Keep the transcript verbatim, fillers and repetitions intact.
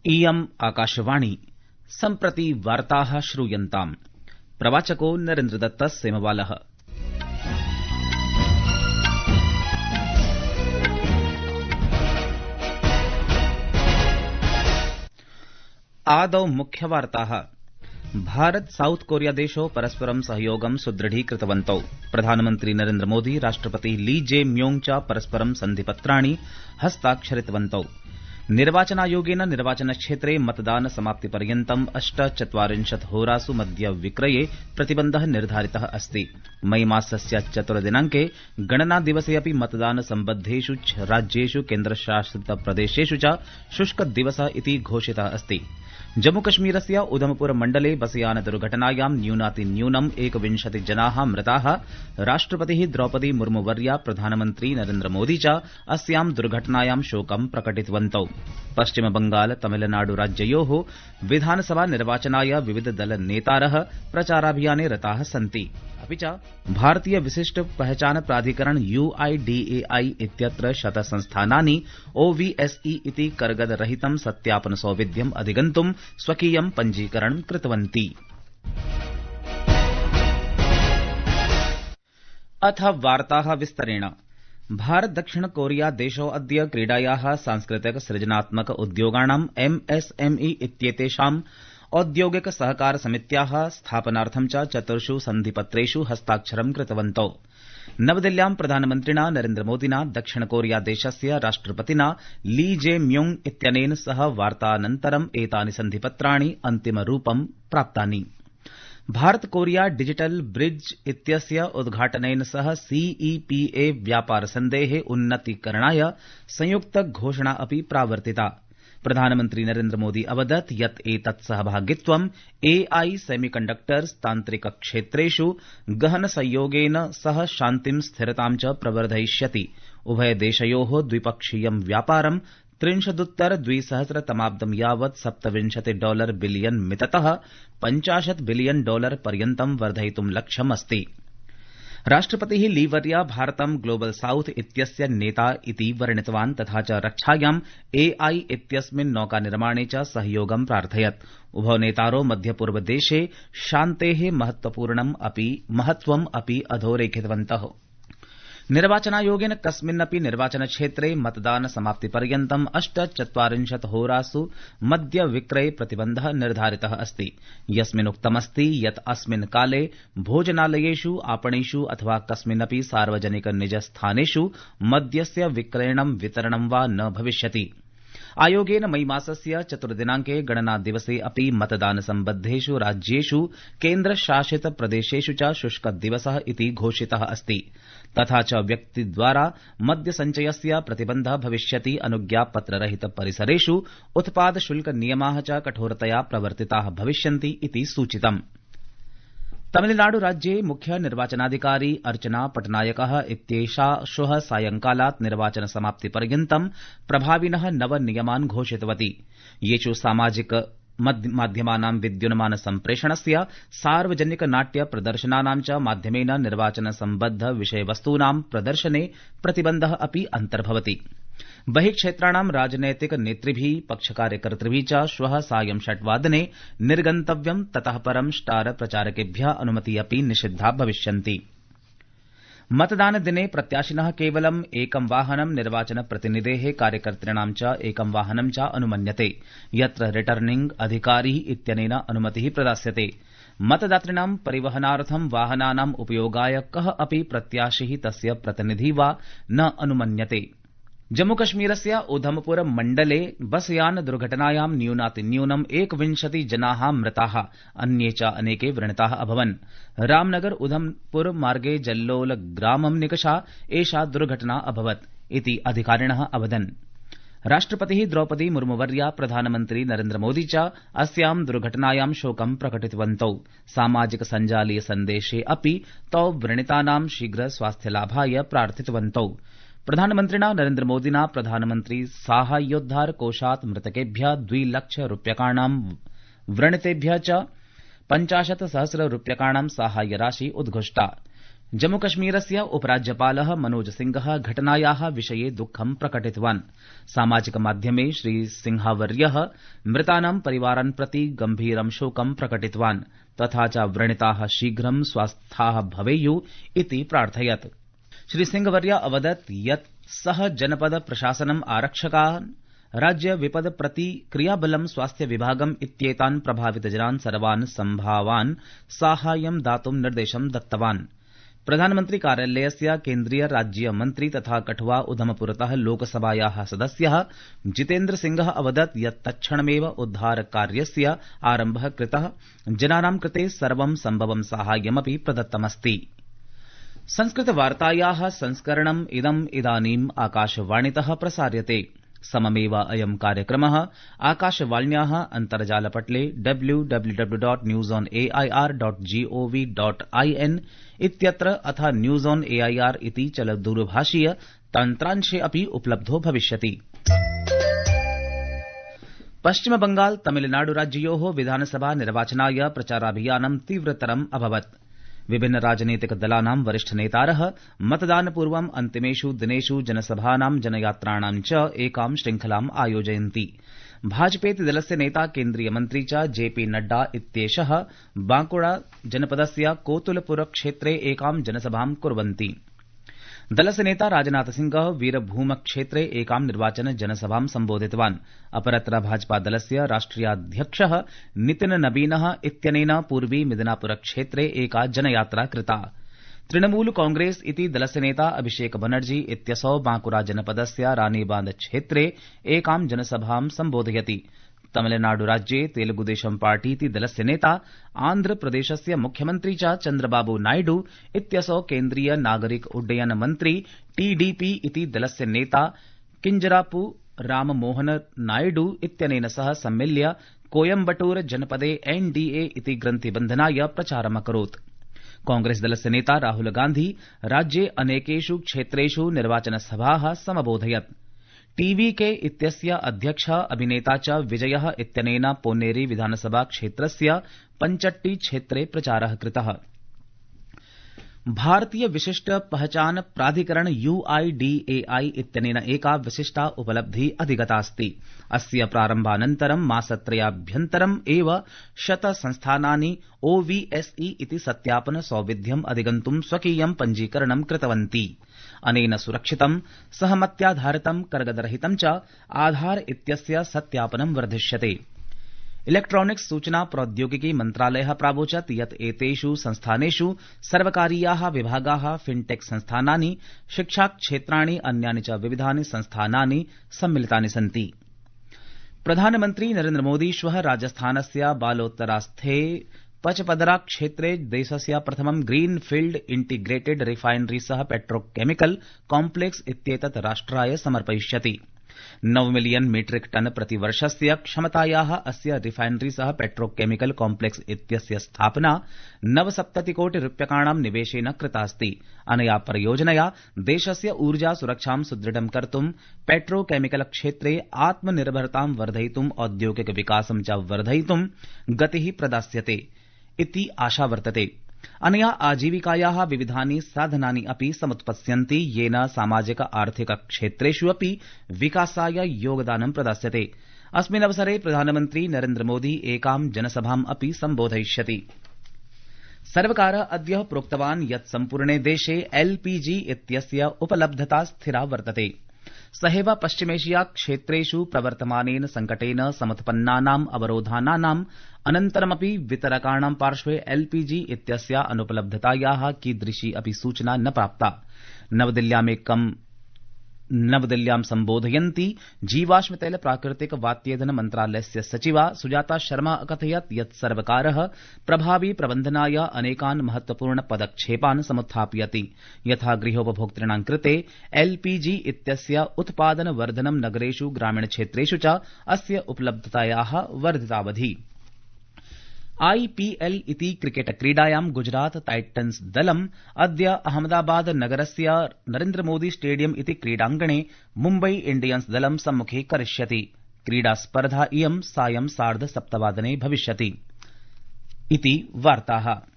इयम् आकाशवाणी सम्प्रति वार्ताः श्रूयन्ताम्। प्रवाचको नरेन्द्रदत्त सेमवालः। आदौ मुख्यवार्ताः। भारत साउथ कोरिया देशौ परस्परं सहयोगं सुदृढीकृतवन्तौ। प्रधानमन्त्री नरेन्द्र मोदी राष्ट्रपति ली जे म्योंग च परस्परं सन्धिपत्राणि हस्ताक्षरितवन्तौ। निर्वाचनायोगेन निर्वाचनक्षेत्रे मतदान समाप्तिपर्यन्तम् अष्टचत्वारिंशत् होरासु मद्य विक्रये प्रतिबन्धः निर्धारितः अस्ति। मई मासस्य चतुर्दिनांके गणनादिवसे अपि मतदान सम्बद्धेषु राज्येषु केन्द्रशासितप्रदेशेषु च शुष्कदिवसः इति घोषितः अस्ति। जम्मूकश्मीरस्य उधमपुर मण्डले बसयान दुर्घटनायां न्यूनातिन्यूनम् एकविंशति जनाः मृताः। राष्ट्रपतिः द्रौपदी मुर्मुवर्या प्रधानमन्त्री नरेन्द्र मोदी च अस्यां दुर्घटनायां शोकं प्रकटितवन्तौ। पश्चिमबंगाल तमिलनाडु राज्ययोः विधानसभा निर्वाचनाय विविध दल नेतारः प्रचाराभियाने रताः सन्ति। अपि च भारतीय विशिष्ट पहचान प्राधिकरण यूआईडीएआई इत्यत्र शतसंस्थानानि ओवीएसई इति कर्गदरहितं सत्यापन सौविध्यम् अधिगन्तुं स्वकीयं पञ्जीकरणं कृतवन्ति। अथ वार्ताः विस्तरेण। भारत दक्षिण कोरिया देशौ अद्य क्रीडायाः सांस्कृतिक सृजनात्मक उद्योगाणां एमएसएमई इत्येतेषां औद्योगिक सहकार समित्याः स्थापनार्थं च चतुर्षु सन्धिपत्रेषु हस्ताक्षरं कृतवन्तौ। नवदिल्ल्यां प्रधानमन्त्रिणा नरेन्द्र मोदिना दक्षिण कोरिया देशस्य राष्ट्रपतिना ली जे म्योंग इत्यनेन सह वार्तानन्तरं एतानि सन्धिपत्राणि अन्तिमरूपं प्राप्तानि। भारत कोरिया डिजिटल ब्रिज इत्यस्य उद्घाटनेन सह सीईपीए व्यापारसन्धेः उन्नतीकरणाय संयुक्त घोषणा अपि प्रावर्तिता। प्रधानमन्त्री नरेन्द्र मोदी अवदत् यत् एतत् सहभागित्वं एआई सेमीकण्डक्टर्स् तान्त्रिक क्षेत्रेषु गहन संयोगेन सह शान्तिं स्थिरतां च प्रवर्धयिष्यति। उभयदेशयोः द्विपक्षीयं व्यापारं त्रिंशदुत्तर द्विसहस्रतमाब्दं यावत् सप्तविंशति डॉलर बिलियन मिततः पञ्चाशत् बिलियन डॉलर पर्यन्तं वर्धयितुं लक्ष्यमस्ति। राष्ट्रपतिः लीवर्या भारतं ग्लोबल साउथ इत्यस्य नेता इति वर्णितवान् तथा च रक्षायां एआई इत्यस्मिन् नौकानिर्माणे च सहयोगं प्रार्थयत्। उभौ नेतारौ मध्यपूर्वदेशे शान्तेः महत्वपूर्णम् अपि महत्वम् अपि अधोरेखितवन्तः। निर्वाचनायोगेन कस्मिन्नपि निर्वाचनक्षेत्रे मतदान समाप्तिपर्यन्तम् अष्टचत्वारिंशत् होरासु मद्य विक्रये प्रतिबन्धः निर्धारितः अस्ति। यस्मिन्नुक्तमस्ति यत् अस्मिन् काले भोजनालयेषु आपणेषु अथवा कस्मिन्नपि सार्वजनिक निजस्थानेषु मद्यस्य विक्रयणं वितरणं वा न भविष्यति। आयोगेन मई मासस्य चतुर्दिनांके गणनादिवसे अपि मतदान सम्बद्धेषु राज्येषु केन्द्रशासित प्रदेशेषु च शुष्कदिवसः इति घोषितः अस्ति। तथा च व्यक्तिद्वारा मद्यसञ्चयस्य प्रतिबन्धः भविष्यति। अनुज्ञापत्ररहित परिसरेषु उत्पाद शुल्क नियमाः च कठोरतया प्रवर्तिताः भविष्यन्ति इति सूचितम्। तमिलनाडु राज्ये मुख्य निर्वाचनाधिकारी अर्चना पटनायकः इत्येषा श्वः सायंकालात् निर्वाचन समाप्तिपर्यन्तं प्रभाविनः नव नियमान् घोषितवती। येषु सामाजिक माध्यमानां विद्युन्मान सम्प्रेषणस्य सार्वजनिक नाट्य प्रदर्शनानां च माध्यमेन निर्वाचन सम्बद्ध विषयवस्तूनां प्रदर्शने प्रतिबन्धः अपि अन्तर्भवति। बहिक्षेत्राणां राजनैतिक नेतृभिः पक्षकार्यकर्तृभिः च श्वः सायं षट्वादने निर्गन्तव्यं। ततः परं स्टार प्रचारकेभ्यः अनुमतिः अपि निषिद्धा भविष्यन्ति। मतदानदिने प्रत्याशिनः केवलम् एकं वाहनं निर्वाचन प्रतिनिधेः कार्यकर्तॄणां च एकं वाहनं च अनुमन्यते। यत्र रिटर्निंग अधिकारी इत्यनेन अनुमतिः प्रदास्यते। मतदातॄणां परिवहनार्थं वाहनानाम् उपयोगाय कः अपि प्रत्याशिः तस्य प्रतिनिधि वा न अनुमन्यते। जम्मूकश्मीरस्य उधमपुर मण्डले बसयान दुर्घटनायां न्यूनातिन्यूनम् एकविंशति जनाः मृताः। अन्ये च अनेके व्रणिताः अभवन्। रामनगर उधमपुर मार्गे जल्लोल ग्रामं निकषा एषा दुर्घटना अभवत् इति अधिकारिणः अवदन्। राष्ट्रपतिः द्रौपदी मुर्मुवर्या प्रधानमन्त्री नरेन्द्र मोदी च अस्यां दुर्घटनायां शोकं प्रकटितवन्तौ। सामाजिक सञ्जालीय सन्देशे अपि तौ व्रणितानां शीघ्र स्वास्थ्यलाभाय प्रार्थितवन्तौ। प्रधानमन्त्रिणा नरेन्द्र मोदिना प्रधानमन्त्री साहाय्योद्धार कोषात् मृतकेभ्यः द्विलक्ष रूप्यकाणां व्रणितेभ्यः च पञ्चाशत् सहस्र रूप्यकाणां साहाय्यराशि उद्घोषिता। जम्मूकश्मीरस्य उपराज्यपालः मनोज सिंहः घटनायाः विषये दुःखं प्रकटितवान्। सामाजिकमाध्यमे श्रीसिंहवर्यः मृतानां परिवारान् प्रति गम्भीरं शोकं प्रकटितवान् तथा च व्रणिताः शीघ्रं स्वस्थाः भवेयुः इति प्रार्थयत्। श्रीसिंहवर्य अवदत् यत् सः जनपद प्रशासनम् आरक्षकान् राज्य विपद प्रतिक्रियाबलं स्वास्थ्य विभागम् इत्येतान् प्रभावितजनान् सर्वान् सम्भावान् साहाय्यं दातुं निर्देशं दत्तवान्। प्रधानमन्त्री कार्यालयस्य केन्द्रीय राज्य मन्त्री तथा कठुआ उधमपुरतः लोकसभायाः सदस्यः जितेन्द्र सिंहः अवदत् यत् तत्क्षणमेव उद्धारकार्यस्य आरम्भः कृतः, जनानां कृते सर्वं सम्भवं साहाय्यमपि प्रदत्तमस्ति। संस्कृतवार्तायाः संस्करणम् इदम् इदानीम् आकाशवाणीतः प्रसार्यते। सममेव अयं कार्यक्रमः आकाशवाण्याः अन्तर्जालपटले W W W dot news on A I R dot G O V dot I N इत्यत्र अथ news on A I R इति चलदूरभाषीय तन्त्रांशे अपि उपलब्धो भविष्यति। पश्चिमबंगाल तमिलनाडु राज्ययोः विधानसभा निर्वाचनाय प्रचाराभियानं तीव्रतरम् अभवत्। विभिन्न राजनीतिक दलानां वरिष्ठ नेतारः मतदानपूर्वम् अन्तिमेषु दिनेषु जनसभानां जनयात्राणां च एकां श्रृंखलाम् आयोजयन्ति। भाजपेति दलस्य नेता केन्द्रीय मन्त्री च जेपी नड्डा इत्येषः बांकुड़ा जनपदस्य कोतुलपुर क्षेत्रे एकां जनसभां कुर्वन्ति। दलस्य नेता राजनाथ सिंहः वीरभूम क्षेत्रे एकां निर्वाचन जनसभां सम्बोधितवान्। अपरत्र भाजपा दलस्य राष्ट्रियाध्यक्षः नितिन नबीनः इत्यनेन पूर्वी मिदनापुर क्षेत्रे एका जनयात्रा कृता। तृणमूल कांग्रेस इति दलस्य नेता अभिषेक बनर्जी इत्यसौ बांकुड़ा जनपदस्य रानीबांध क्षेत्रे एकां जनसभां सम्बोधयति। तमिलनाडु राज्ये तेलुगुदेशम पार्टीति दलस्य नेता आन्ध्रप्रदेशस्य मुख्यमन्त्री च चन्द्रबाबू नायडू इत्यसौ केन्द्रीय नागरिक उड्डयन मन्त्री टीडीपी इति दलस्य नेता किंजरापू राममोहन नायडू इत्यनेन सह सम्मिल्य कोयम्बटूर जनपदे एनडीए इति ग्रन्थिबन्धनाय प्रचारमकरोत्। कांग्रेस दलस्य नेता राहुल गांधी राज्ये अनेकेषु क्षेत्रेषु निर्वाचनसभाः समबोधयत्। टीवीके इत्यस्य अध्यक्षः अभिनेता च विजयः इत्यनेन पोन्नेरी विधानसभा क्षेत्रस्य पंचट्टी क्षेत्रे प्रचारः कृतः। भारतीय विशिष्ट पहचान प्राधिकरण यूआईडीएआई इत्यनेन एका विशिष्टा उपलब्धिः अधिगतास्ति। अस्य प्रारम्भानन्तरं मासत्रयाभ्यन्तरम् एव शत संस्थानानि ओवीएसई इति सत्यापन सौविध्यम् अधिगन्तुं स्वकीयं पञ्जीकरणं कृतवन्ति। अनेन सुरक्षितं सहमत्याधारितं कर्गदरहितं च आधार इत्यस्य सत्यापनं वर्धिष्यते। इलेक्ट्रॉनिक्स सूचना प्रौद्योगिकी मन्त्रालयः प्रावोचत् यत् एतेषु संस्थानेषु सर्वकारीयाः विभागाः, फिनटेक संस्थानानि, शिक्षाक्षेत्राणि, अन्यानि च विविधानि संस्थानानि सम्मिलितानि सन्ति। प्रधानमन्त्री नरेन्द्र मोदी श्वः राजस्थानस्य बालोतरास्थे पचपदरा क्षेत्रे देशस्य प्रथमं ग्रीनफील्ड इंटीग्रेटेड रिफाइनरी सह पेट्रोकेमिकल कॉम्प्लेक्स इत्येतत् राष्ट्राय समर्पयिष्यति। नव मिलियन मीट्रिक टन प्रतिवर्षस्य क्षमतायाः अस्य रिफाइनरी सह पेट्रोकेमिकल कॉम्प्लेक्स इत्यस्य स्थापना नवसप्ततिकोटि रूप्यकाणां निवेशेन कृतास्ति। अनया परियोजनया देशस्य ऊर्जा सुरक्षां सुदृढं कर्तुं, पेट्रोकेमिकल क्षेत्रे आत्मनिर्भरतां वर्धयितुं, औद्योगिक विकासं च वर्धयितुं गतिः प्रदास्यते इति आशा वर्तते। अनया आजीविकायाः विविधानि साधनानि अपि समुत्पत्स्यन्ति, येन सामाजिक आर्थिक क्षेत्रेषु अपि विकासाय योगदानं प्रदास्यते। अस्मिन् अवसरे प्रधानमन्त्री नरेन्द्र मोदी एकां जनसभाम् अपि सम्बोधयिष्यति। सर्वकारः अद्य प्रोक्तवान् यत् सम्पूर्णे देशे एलपीजी इत्यस्य उपलब्धता स्थिरा वर्तते। सहैव पश्चिमेशिया क्षेत्रेषु प्रवर्तमानेन संकटेन समुत्पन्नानाम् अवरोधानाम् अनन्तरमपि वितरकाणां पार्श्वे एलपीजी इत्यस्य अनुपलब्धतायाः कीदृशी अपि सूचना न प्राप्ता। नवदिल्ल्यामेकं नवदिल्ल्यां सम्बोधयन्ती जीवाश्म तैल प्राकृतिक वात्येधन मन्त्रालयस्य सचिवा सुजाता शर्मा अकथयत् यत् सर्वकारः प्रभावी प्रबन्धनाय अनेकान् महत्वपूर्ण पदक्षेपान् समुत्थापयति। यथा गृहोपभोक्तॄणां कृते एलपीजी इत्यस्य उत्पादन वर्धनं, नगरेषु ग्रामीणक्षेत्रेषु च अस्य उपलब्धतायाः वर्धितावधि। आईपीएल इति क्रिकेट क्रीडायां गुजरात टाइटन्स दलम् अद्य अहमदाबाद नगरस्य नरेन्द्र मोदी स्टेडियम इति क्रीडाङ्गणे मुम्बई इंडियन्स दलं सम्मुखी करिष्यति। क्रीडास्पर्धा इयं सायं सार्ध सप्तवादने भविष्यति। इति वार्ताः।